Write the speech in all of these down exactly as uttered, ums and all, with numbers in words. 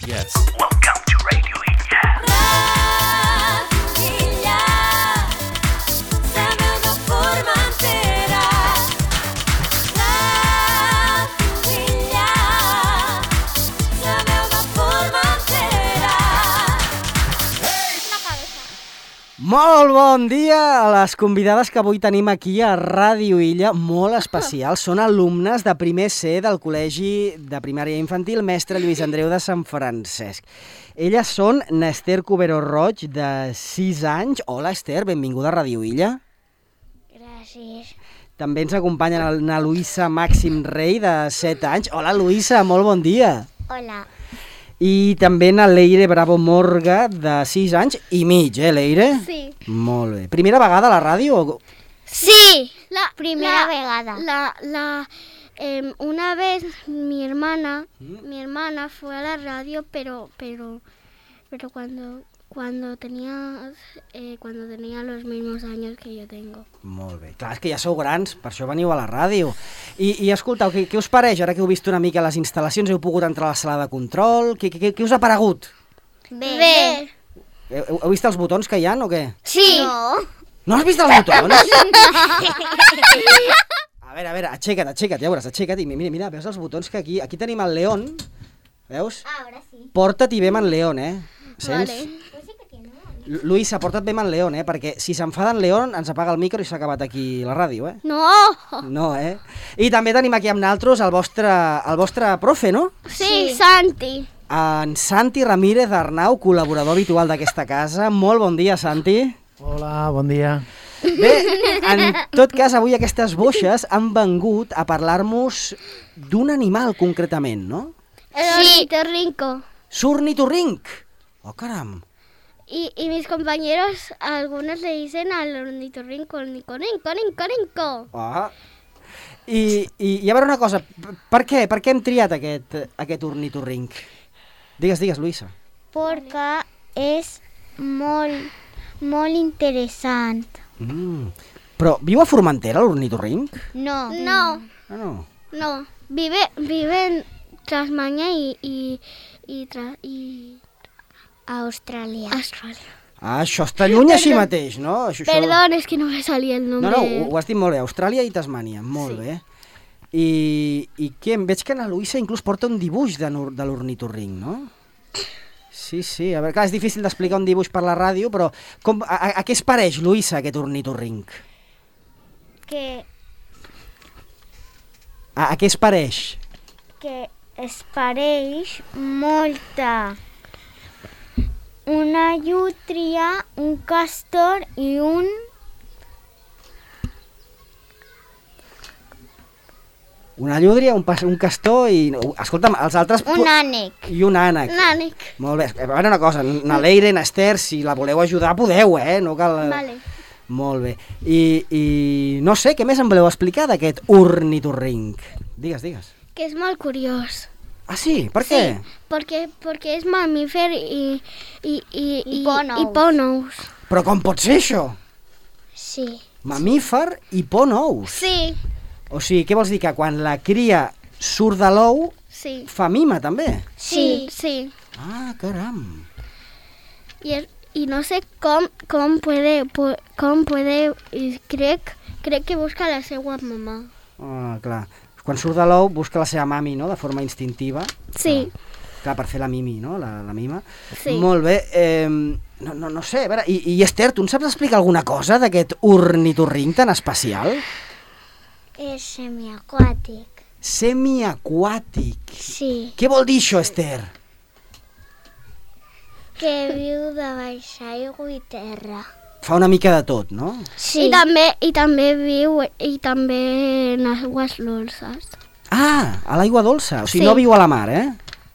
Yes. Welcome to Radio Illa. Radio Illa. La meva Formentera. Radio Illa. La meva Formentera. La cabeza. Molt bon dia a les convidades que avui tenim aquí a Ràdio Illa, molt especials. Són alumnes de primer C del Col·legi de Primària Infantil Mestre Lluís Andreu de Sant Francesc. Elles són n'Ester Cubero Roig, de sis anys. Hola, Ester, benvinguda a Ràdio Illa. Gràcies. També ens acompanya na Luisa Màxim Rei, de set anys. Hola, Luisa, molt bon dia. Hola. I també na Leire Bravo Morga, de sis anys i mig, eh, Leire? Sí. Molt bé. Primera vegada a la ràdio? o- Sí. La primera la- vegada. La, la, em, una vez mi hermana, mi hermana fue a la radio, pero, pero, pero cuando, cuando tenía, eh, cuando tenía los mismos años que yo tengo. Molt bé. Clar, és que ja sou grans, per això veniu a la ràdio. I, i escoltau, què, què us pareix, ara que heu vist una mica les instal·lacions, heu pogut entrar a la sala de control, què, què, què us ha paregut? Bé. Bé. Heu, heu vist els botons que hi ha o què? Sí. No. No has vist els botons? A veure, a veure, aixeca't, aixeca't, ja veuràs, aixeca't i mira, mira, veus els botons que aquí, aquí tenim el León, veus? Ara sí. Porta't i vem en León, eh? Sents? Vale. Lu- Luisa, porta't vem en León, eh? Perquè si s'enfada en León ens apaga el micro i s'ha acabat aquí la ràdio, eh? No. No, eh? I també tenim aquí amb naltros el vostre, el vostre profe, no? Sí, Santi. En Santi Ramírez Arnau, col·laborador habitual d'aquesta casa. Molt bon dia, Santi. Hola, bon dia. Bé, en tot cas, avui aquestes boixes han vengut a parlar-nos d'un animal concretament, no? El Sí. ornitorrinco. Surnitorrinc. Oh, caram. Y, y mis compañeros, algunos le dicen al ornitorrinco, ornicorinco, ornicorinco. Ah. I, i, I a veure una cosa, p- per què? Per què hem triat aquest, aquest ornitorrinc? Digues, digues, Luisa. Perquè és molt, molt interessant. Mm. Però viu a Formentera, l'ornitorrinc? No. No, Ah, no. no. Vive, vive en Tasmania y, y, y, tra- y Austràlia. Australia. Ah, això està lluny així mateix, no? Això, això- Perdón, es que no me salía el No, nombre. no, ho, ho has dit molt bé, Austràlia i Tasmània, molt bé. I, i què? Em veig que na Luisa inclús porta un dibuix de, nor- de l'ornitorrinc, no? Sí, sí, a veure, clar, és difícil d'explicar un dibuix per la ràdio, però com, a, a, a què es pareix, Luisa, aquest ornitorrinc? Que, A, a què es pareix? que es pareix molta. Una llútria, un castor i un... Una llúdria, un, pas, un castor i... Escolta'm, els altres... un ànec. I un ànec. Nanic. Molt bé, a veure una cosa, na Leire, na Ester, si la voleu ajudar, podeu, eh? No cal... Vale. Molt bé. I, i no sé, què més em voleu explicar d'aquest ornitorrinc? Digues, digues. Que es molt curiós. Ah, sí? Per què? Porque, porque es mamífer y, y, y, Y pon y ous. pon ous. Però com pot ser això? Sí. Mamífer i pon ous. Sí, O sigui, què vols dir? Que quan la cria surt de l'ou, sí. fa mima, també? Sí, sí. Ah, caram. Y, es- y no sé cómo, cómo puede, pu- cómo puede, y crec, crec que busca la seva mamá. Ah, clar. Quan surt de l'ou, busca la seva mami, no?, de forma instintiva. Sí, Clar, per fer la mimi, no?, la, la mima. sí. Molt bé. Eh, no, no, no sé, a veure, i, i Esther, tu em saps explicar alguna cosa d'aquest ornitorrinc tan especial? És semiaquàtic. Semiaquàtic. Sí. Què vol dir això, Esther? Que viu de baix aigua i terra. Fa una mica de tot, no? Sí. I també, i també viu i també en aigües dolces. Ah, a l'aigua dolça. O sigui, Sí. no viu a la mar, eh?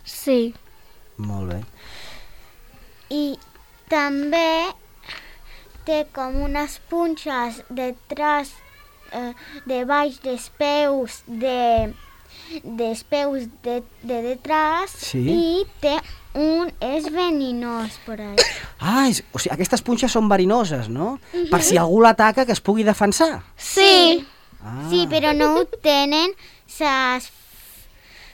Sí. Molt bé. I també té com unes punxes detrás, eh, de baix dels peus de, dels peus de, de detrás Sí. i té un és verinós per ahí. Ah, és, o sigui, aquestes punxes són verinoses, no? Per si algú l'ataca que es pugui defensar. Sí. Ah. Sí, però no ho tenen les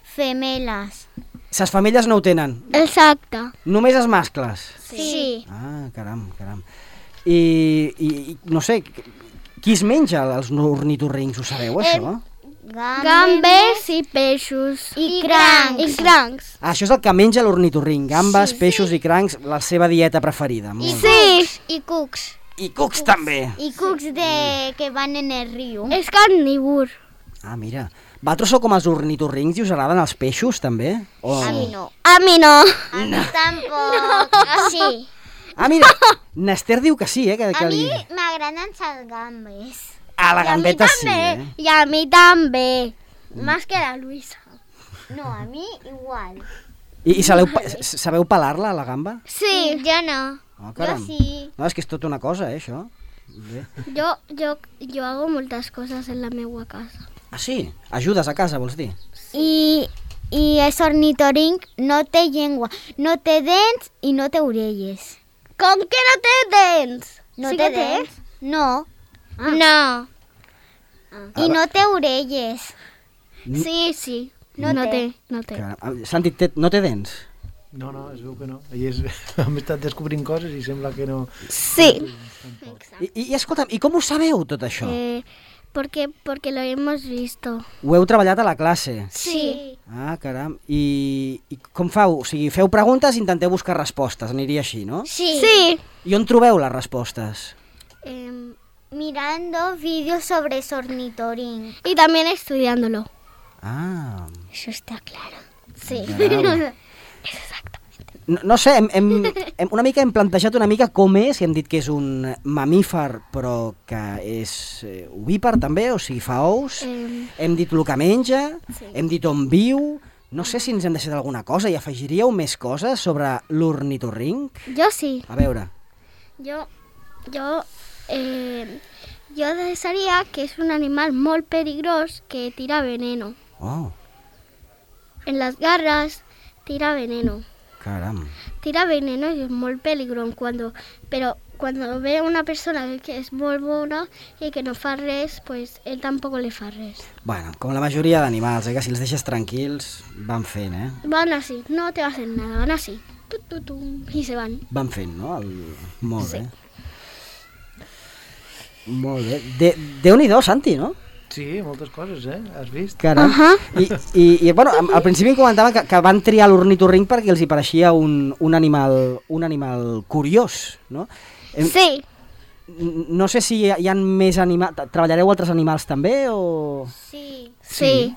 femeles. Ses femelles no ho tenen, Exacte. només els mascles. Sí. Ah, caram, caram. I, i, i no sé, qui es menja els ornitorrincs, ho sabeu, això? Gambes i peixos. I crancs. I crancs. Ah, això és el que menja l'ornitorrinc, gambes, Sí, peixos i crancs, la seva dieta preferida. Molt bé. Sí. I cucs. I cucs també. I cucs de... que van en el riu. És carnívor. Ah, mira. Vosaltres sou com els ornitorrincs i us agraden els peixos, també? O... A mi no. A mi no. A mi tampoc. Sí. Ah, mira, Nester diu que sí, eh? Que, que A mi li... m'agraden les gambes. Ah, la I a mi gambeta sí, també. eh? I a mi també. Més que la Luisa. No, a mi igual. I, i sabeu, pa- sabeu pelar-la, la gamba? Sí. Jo no. Oh, Jo caram. sí. No, és que és tota una cosa, eh, això. Bé. Jo, jo, jo hago moltes coses en la meva casa. Ah, sí? Ajudes a casa, vols dir? I, i és ornitorrinc, no té llengua, no té dents i no té orelles. Com que no té dents? No Sí té que té? dents? No. No. I no té orelles. Sí, sí. No No, té. té. No té. Caram. Ah, Santi, té, no té dents? No, no, es veu que no. I és, hem estat descobrint coses i sembla que no... Sí. I, i, i escolta'm, i com ho sabeu, tot això? Eh, porque, porque lo hemos visto. Ho heu treballat a la classe? Sí. Ah, caram. I, i com feu? O sigui, feu preguntes i intenteu buscar respostes, aniria així, no? Sí. Sí. I on trobeu les respostes? Eh, Mirando vídeos sobre ornitorrinc. y también estudiándolo. Ah, Eso está claro. Sí. caram. No, no sé, hem, hem, hem, una mica hem plantejat una mica com és, i hem dit que és un mamífer, però que és eh, ovípar també, o sigui, fa ous. Eh, Hem dit el que menja, Sí. hem dit on viu. No sé si ens hem deixat alguna cosa i afegiríeu més coses sobre l'ornitorrinc. yo sí. A veure, Yo, yo, eh, yo desearía que es un animal muy peligroso que tira veneno. oh, En las garras tira veneno. caram. Tira veneno y es muy peligroso cuando, pero cuando ve a una persona que es muy buena y que no fa res, pues él tampoco le fa res. Bueno, com la majoria d'animals, eh, que si els deixes tranquils van fent, eh? Van así, no te va a hacer nada, van así. Tu, tu, tu, y se van. Van fent, no? El... Molt Sí. bé. Molt bé. De, Déu-n'hi-do, Santi, no? Sí, moltes coses, eh? Has vist? Caram. Ahà. I, i, i bueno, am- al principi em comentaven que, que van triar l'ornitorrinc perquè els hi pareixia un, un, animal, un animal curiós, no? Em- Sí, n- No sé si hi ha, hi ha més animals... Treballareu altres animals també o...? Sí. sí.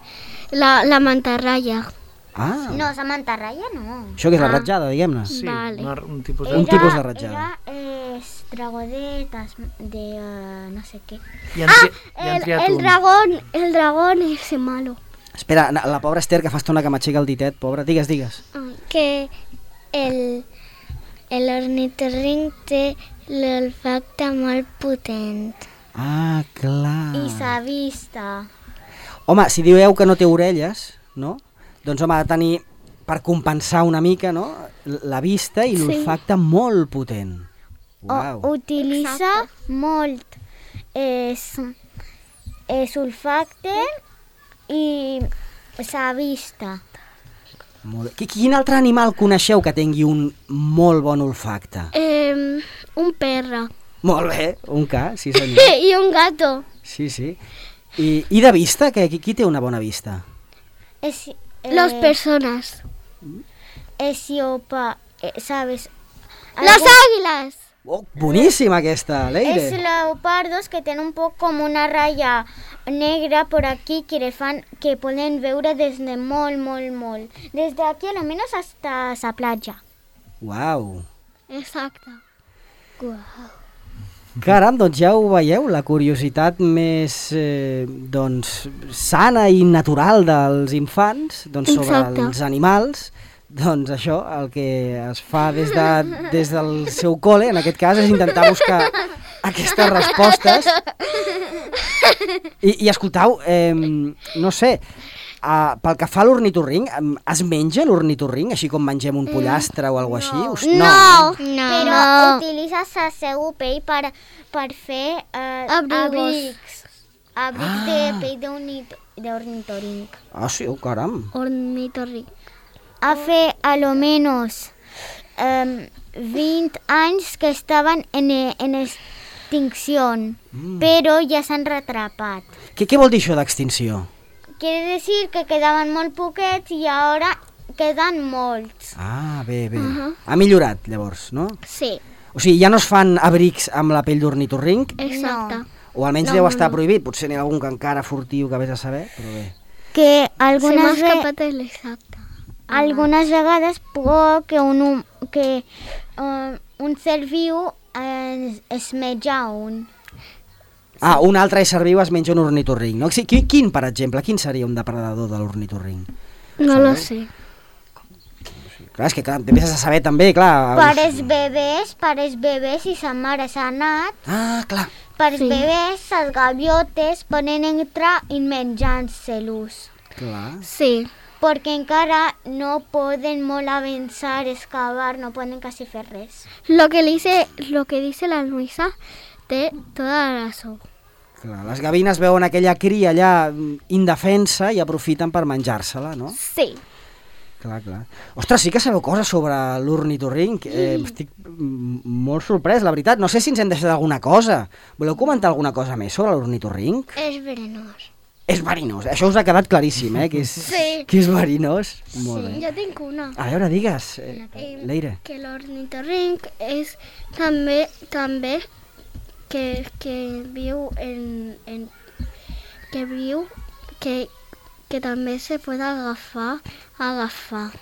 La, la mantarraya. Ah, No, la mantarraya no. això que és la Ah. ratjada, diguem-ne. Sí, Vale. una, un tipus de... Un tipus de ratllada. Era eh, dragonetas de eh, no sé qué. I han, tri... I han El, triat el un. dragón, el dragón ese malo. Espera, na- la pobra Esther, que fa estona que m'aixeca el ditet, pobra. Digues, digues. Que el, el ornitorrinc té l'olfacte molt potent. Ah, clar. I sa vista. Home, si dieu que no té orelles, no? Doncs home, ha de tenir, per compensar una mica, no? La vista i Sí. l'olfacte molt potent. O, Uau. utilitza molt és, és olfacte i sa vista. Molt bé. Qui- Quin altre animal coneixeu que tingui un molt bon olfacte? Eh, un perro. Molt bé, un ca, sí senyor. Y un gato. Sí, sí. I, i de vista, que qui, qui té una bona vista? És, eh, Las personas. és iopa, eh, ¿sabes? Las Algo- águilas. Oh, boníssima aquesta, Es Leire. leopardos que tienen un poco como una raya negra por aquí que, le fan, que pueden veure des de molt, molt, molt. Desde aquí a lo menos hasta esa playa. Uau. Exacto. Caram, doncs ja ho veieu, la curiositat més eh, doncs, sana i natural dels infants doncs, sobre Exacte. els animals. Doncs això, el que es fa des, de, des del seu col·le, en aquest cas, és intentar buscar aquestes respostes. I, i escoltau, eh, no sé, uh, pel que fa a l'ornitorrinc, em, es menja l'ornitorrinc, així com mengem un pollastre o alguna cosa així? Us- No. Però No. utilitzes el seu pell per, per fer eh, Abrigos. abrics. Abrics Ah. de pell d'ornit- d'ornitorrinc. Ah, sí, oh, caram. Ornitorrinc. hace a lo menos um, veinte años que estaban en, en extinción, mm. pero ya s'han retrapat. Què, què vol dir això d'extinció? Quiere decir que quedaven molt poquets i ara queden molts. Ah, bé, bé. Uh-huh. Ha millorat, llavors, no? Sí, O sigui, ja no es fan abrics amb la pell d'ornitorrinc, exacte. o almenys No, deu no, estar no. prohibit. Potser n'hi ha algun que encara furtiu que vés a saber, però bé. Que Se m'ha algunes, ve escapat l'exacte. algunes vegades por que un, hum- que, uh, un ser viu es, es menja un. Ah, un altre ésser viu es menja un ornitorrinc, no? Sí, qui- Quin, per exemple, quin seria un depredador de l'ornitorrinc? No lo sé. Clar, és que clar, t'empiezes a saber també, clar... Per els- els bebès, per els bebès, si sa mare s'ha anat, Ah, clar. per els Sí. bebès, les gaviotes poden entrar i menjar-se-los. Clar. Sí, Perquè encara no poden molt avançar, excavar, no poden quasi fer res. lo que, le dice, lo que dice la Luisa té toda la razón. Clar, les gavines veuen aquella cria allà mm, indefensa i aprofiten per menjar-se-la, no? Sí. Clar, clar. Ostres, sí que sabeu coses sobre l'ornitorrinc. Eh, estic mm, molt sorprès, la veritat. No sé si ens hem deixat alguna cosa. Voleu comentar alguna cosa més sobre l'ornitorrinc? És verenós. És verinós. Això us ha quedat claríssim, eh? Que és, Sí. que és verinós. Molt Sí, bé. jo tinc una. A veure, digues, eh, Eh, Leire. Que l'ornitorrinc és també també que, que viu en, en que viu que, que també se pot agafar agafar.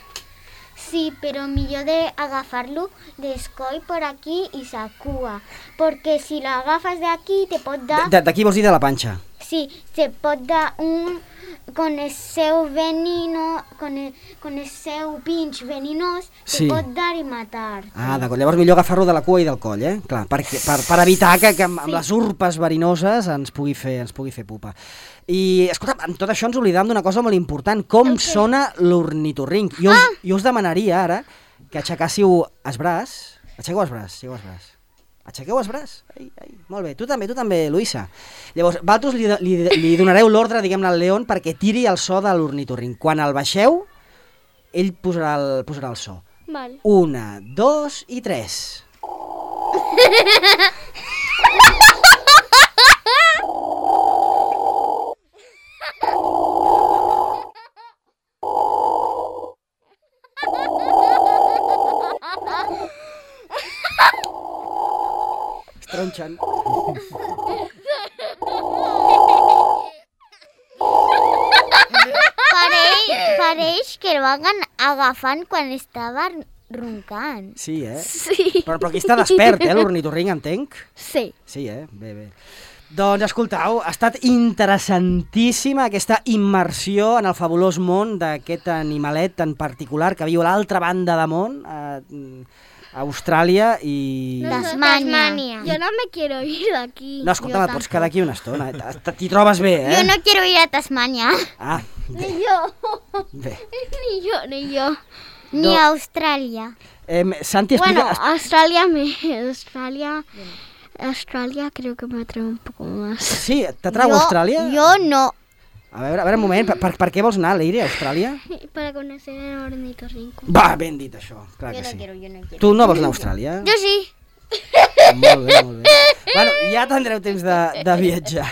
Sí, però millor d'agafar-lo d'escoll per aquí i sa cua. Perquè si l'agafes d'aquí te pot dar... De- D'aquí vols dir de la panxa. Sí, se pot dar un... con el seu venino, con el, con el seu pinch veninós, Sí. te pot dar i matar. Ah, d'acord. Llavors millor agafar-lo de la cua i del coll, eh? Clar, perquè, per, per evitar que, que amb, amb les urpes verinoses ens pugui fer, ens pugui fer pupa. I, escolta, amb tot això ens oblidàvem d'una cosa molt important. Com sona l'ornitorrinc? Jo, us- Ah! jo us demanaria ara que aixecàssiu els braç. Aixequeu els braç, aixequeu els braç. Aixequeu els braç. Ai, ai. Molt bé, tu també, tu també, Luisa. Llavors, vosaltres li, li, li donareu l'ordre, diguem-ne, al León perquè tiri el so de l'ornitorrinc. Quan el baixeu, ell posarà el, posarà el so. Val. Una, dos i tres. Es tronxen. Pareix, pareix que el van agafant quan estava roncant. Sí, eh? Sí. Però, però aquí està despert, eh, l'ornitorrinc, entenc? Sí. Sí, eh? Bé, bé. Doncs escoltau, ha estat interessantíssima aquesta immersió en el fabulós món d'aquest animalet en particular que viu a l'altra banda de món, a, a Austràlia i... Tasmania. Yo no me quiero ir de aquí. No, escolta'm, et pots quedar aquí una estona. eh? T'hi trobes bé, eh? Yo no quiero ir a Tasmania, Ah, Ni yo. bé. Ni yo, ni yo. ni No. a Australia. Eh, Santi, Bueno, explica... Australia me... Australia... Australia creo que me atrae un poco más. Sí, t'atrau Yo- Austràlia? Yo no. A veure, a veure, un moment, per, per, per què vols anar, Leire, a Austràlia? Para conocer el ornitorrinco. Va, ben dit això, clar que sí. yo no quiero. Tu no vols anar a Austràlia? Yo sí. Molt bé, molt bé. Bueno, ja tindreu temps de, de viatjar.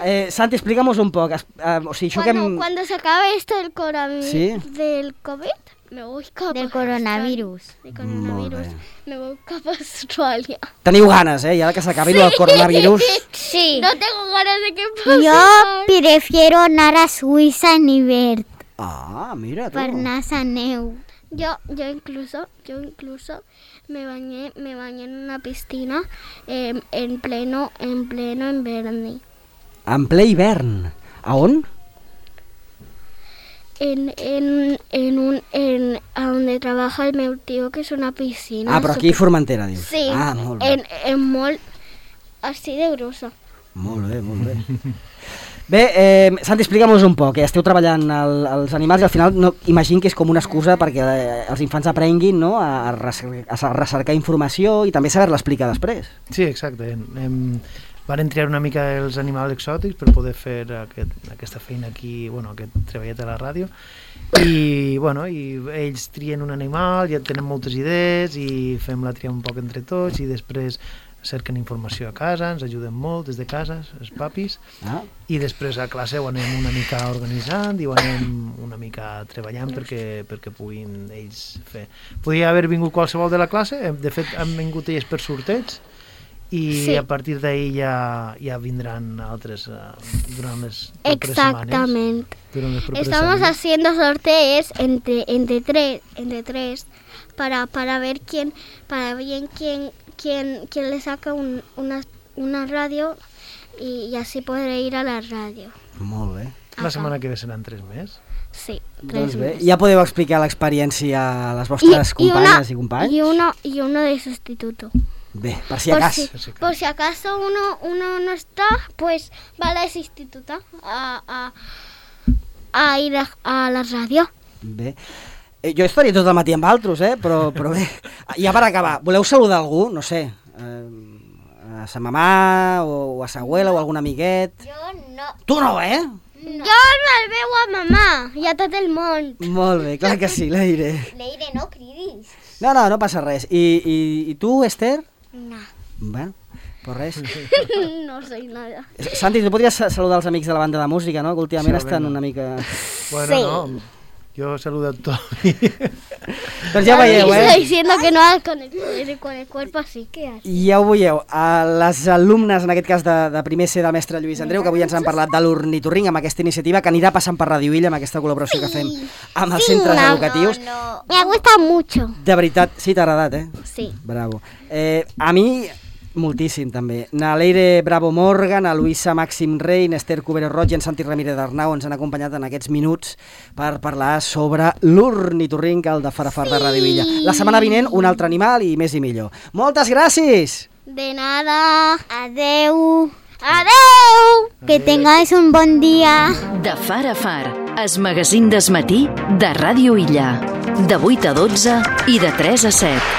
Eh, Santi, explica'm-nos un poc. Es- eh, o sigui, això que Cuando, hem... cuando se acabe esto del, coronavirus, Sí. del COVID, me voy cap Del a coronavirus. Australia. Del coronavirus, Molt me voy cap a Australia. Teniu ganes, eh? I ara que s'acabi el coronavirus... Sí. No tengo ganas de que pase. Yo prefiero anar a Suïssa en hivern Ah, mira, tu. per anar a neu. Yo, yo incluso, yo incluso me bañé, me bañé en una piscina eh, en pleno, en pleno invierno. En ple hivern. A on? En, en, en un, en, a donde trabaja el meu tío, que es una piscina. Ah, però aquí a Formentera, dius. Sí, Ah, molt bé. en, en molt, así de grosa. Molt bé, molt bé. Bé, eh, Santi, explica'm-nos un poc. Eh? Esteu treballant el, els animals i al final no, imagino que és com una excusa perquè eh, els infants aprenguin, no?, a, a, recer a recercar informació i també saber-la explicar després. Sí, exacte. Hem, van triar una mica els animals exòtics per poder fer aquest, aquesta feina aquí, bueno, aquest treballet a la ràdio, I, bueno, i ells trien un animal, ja tenen moltes idees i fem la tria un poc entre tots i després cerquen informació a casa, ens ajuden molt des de casa, els papis, Ah. i després a classe ho anem una mica organitzant i ho anem una mica treballant perquè, perquè puguin ells fer. Podria haver vingut qualsevol de la classe, de fet han vingut ells per sorteig, i Sí. a partir d'ahir ja, ja vindran altres uh, durant les properes setmanes. Exactamente. Durant les properes Estamos setmanes. haciendo sorteos entre, entre, tres, entre tres para, para ver quién, para ver quién, quién, quién le saca un, una, una radio y, y así podré ir a la radio. Molt bé. La setmana que ve seran tres més. Sí, tres Doncs bé, meses. ja podeu explicar l'experiència a les vostres companyes i companys? y uno y uno de sustituto. Bé, per si Por acas. si, por si acaso uno, uno no está, pues va a la instituta a, a, a ir a, a la radio. Bé. Eh, jo estaria tot el matí amb altres, eh? però, però bé. Ja per acabar, voleu saludar algú? No sé, eh, a sa mamà o, o a sa abuela o algun amiguet? Jo no. Tu no, eh? No. Jo me'l veu a mamà i a tot el món. Molt bé, clar que sí, Leire. Leire, no cridis. No, no, no passa res. I, i, i tu, Esther? No. Bueno, pues res. No sé nada. Santi, tu podries sa- saludar els amics de la banda de música, no? Que últimament Sí, estan vinga. una mica... Bueno, Sí. no, jo saludo a tots. Doncs ja ho veieu, Está eh? diciendo que no hagas con el, con el cuerpo así. ¿Qué haces? Ja ho veieu, a les alumnes, en aquest cas de, de primer C del mestre Lluís Andreu, que avui ens han parlat de l'ornitorrinc amb aquesta iniciativa que anirà passant per Radio Illa amb aquesta col·laboració que fem amb els centres no, educatius. No. Me gusta mucho. De veritat, sí, t'ha agradat, eh? Sí. Bravo. Eh, a mi, moltíssim, també. Na Leire Bravo Morgan, a Luisa Màxim Rey, Esther Cubero Roig i en Santi Ramírez d'Arnau ens han acompanyat en aquests minuts per parlar sobre l'ornitorrinc, el de Farafar de Radio Illa. La setmana vinent, un altre animal i més i millor. Moltes gràcies! De nada. Adeu. Adeu. Que tengáis un bon dia. De Far a Far, es magazín d'esmatí de Ràdio Illa. De vuit a dotze i de tres a set.